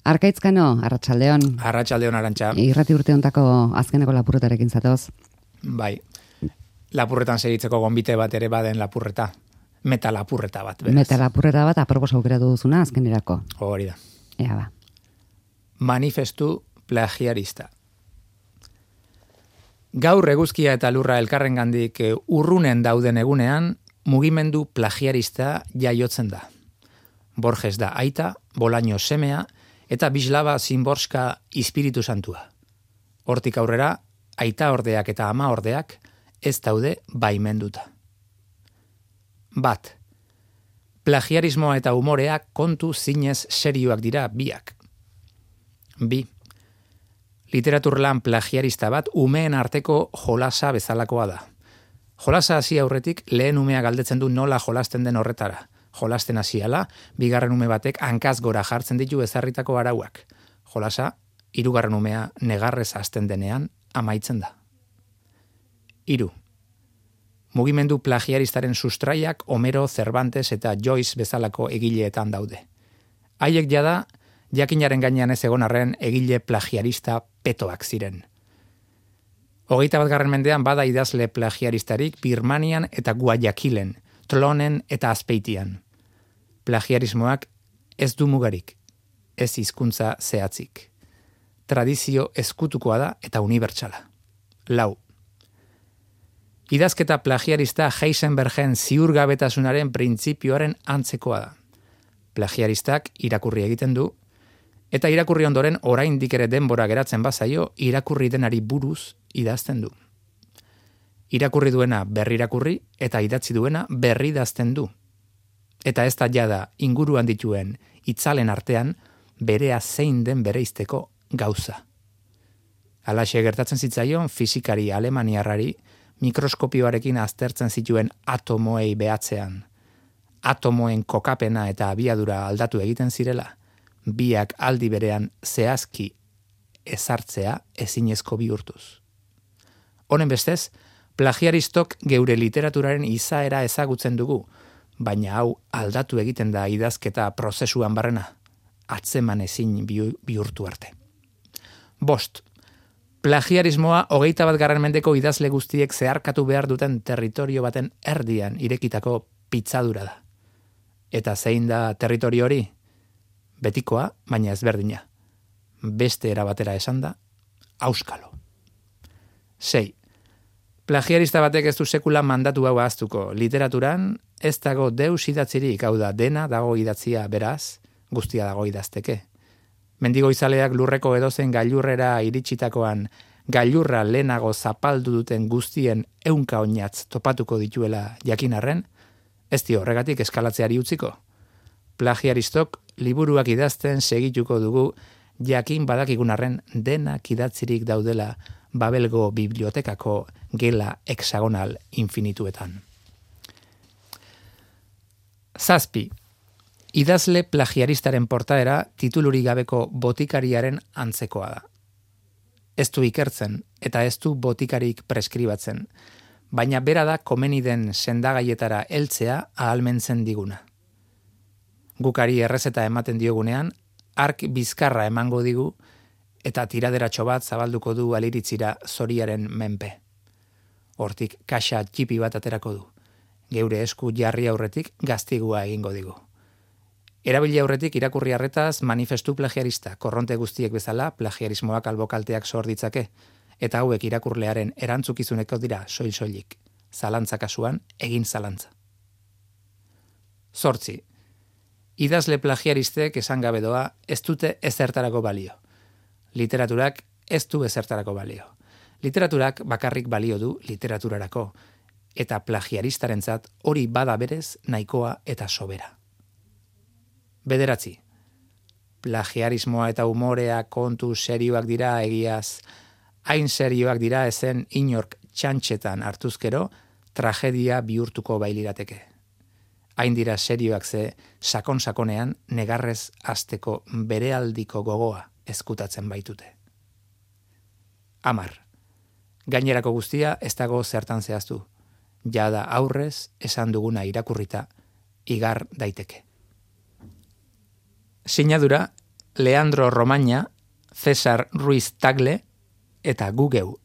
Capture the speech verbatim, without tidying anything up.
Arkaitzkano, Arratsaldeon. Arratsaldeon, Arantxa. Irrati urte hontako azkeneko lapurretarekin zatoz. Bai. Lapurretan segitzeko gonbite bat ere baden lapurreta. Meta lapurreta bat, beraz. Meta lapurreta bat apropos aukeratu duzuna azkenerako. Hori da. Ea ba. Manifestu plagiarista. Gaur eguzkia eta lurra elkarrengandik urrunen dauden egunean, mugimendu plagiarista jaiotzen da. Borges da aita, Bolaño semea, eta Bislava Szymborska Espiritu Santua. Hortik aurrera, aita ordeak eta ama ordeak ez daude baimenduta. Bat. Plagiarismoa eta umorea kontu zinez serioak dira biak. Bi. Literaturlan plagiarista bat umeen arteko jolasa bezalakoa da. Jolasa hasi aurretik lehen umea galdetzen du nola jolasten den horretara. Jolasten hasiala, bigarren ume batek hankaz gora jartzen ditu ezarritako arauak. Jolasa, hirugarren umea negarrez hasten denean amaitzen da. Hiru. Mugimendu plagiaristaren sustraiak Homero, Cervantes eta Joyce bezalako egileetan daude. Haiek jada, jakinaren gainean ez egon arren egile plagiarista petoak ziren. Hogeita bat garren mendean bada idazle plagiaristarik Birmanian eta Guayaquilen, Tlonen eta Azpeitian. Plagiarismoak ez du mugarik, ez hizkuntza zehatzik. Tradizio ezkutukoa da eta unibertsala. Lau. Idazketa plagiarista Heisenbergen ziurgabetasunaren printzipioaren antzekoa da. Plagiaristak irakurri egiten du, eta irakurri ondoren oraindik ere denbora geratzen bazaio, irakurri denari buruz idazten du. Irakurri duena berri irakurri eta idatzi duena berri idazten du. Eta ez da jada inguruan dituen itzalen artean berea zein den bereizteko gauza. Halaxe gertatzen zitzaion fisikari alemaniarrari mikroskopioarekin aztertzen zituen atomoei behatzean. Atomoen kokapena eta abiadura aldatu egiten zirela, biak aldi berean zehazki ezartzea ezinezko bihurtuz. Honen bestez, plagiaristok geure literaturaren izaera ezagutzen dugu, baina hau aldatu egiten da idazketa prozesuan barrena, atzeman ezin bihurtu arte. Bost. Plagiarismoa hogeita bat garren mendeko idazle guztiek zeharkatu behar duten territorio baten erdian irekitako pitzadura da. Eta zein da territorio hori? Betikoa, baina ezberdina. Beste erabatera esan da, auskalo. Sei. Plagiarista batek ez du sekula mandatu hau ahaztuko. Literaturan ez dago deus idatzirik, hau da dena dago idatzia beraz, guztia dago idazteke. Mendigo izaleak lurreko edozen gailurrera iritsitakoan, gailurra lehenago zapaldu duten guztien ehunka oinatz topatuko dituela jakinarren, ez dio horregatik eskalatzeari utziko. Plagiaristok liburuak idazten segituko dugu jakin badakigunarren denak idatzirik daudela Babelgo bibliotekako gela hexagonal infinituetan. Zazpi. Idazle plagiaristaren portaera titulurik gabeko botikariaren antzekoa da. Ez du ikertzen eta ez du botikarik preskribatzen, baina bera da komeni den sendagaietara heltzea ahalmentzen diguna. Gukari errezeta ematen diogunean, ark bizkarra emango digu eta tiraderatxo bat zabalduko du aliritzira zoriaren menpe. Hortik kaxa txipi bat aterako du. Geure esku jarri aurretik gaztigua egingo digu. Erabili aurretik irakurri arretaz manifestu plagiarista, korronte guztiek bezala plagiarismoak albokalteak sor ditzake, eta hauek irakurlearen erantzukizuneko dira soil-soilik, zalantza kasuan egin zalantza. Zortzi. Idazle plagiaristek esan gabe doa ez dute ezertarako balio. Literaturak ez du ezertarako balio. Literaturak bakarrik balio du literaturarako, eta plagiaristarentzat hori bada berez nahikoa eta sobera. Bederatzi. Plagiarismoa eta umorea kontu serioak dira egiaz, hain serioak dira ezen inork txantxetan hartuzkero tragedia bihurtuko bailirateke. Hain dira serioak ze sakon-sakonean negarrez hasteko berealdiko gogoa ezkutatzen baitute. Amar. Gainerako guztia ez dago zertan zehaztu. Jada aurrez esan duguna irakurrita igar daiteke. Sinadura Leandro Romaña, Cesar Ruiz Tagle eta gugeu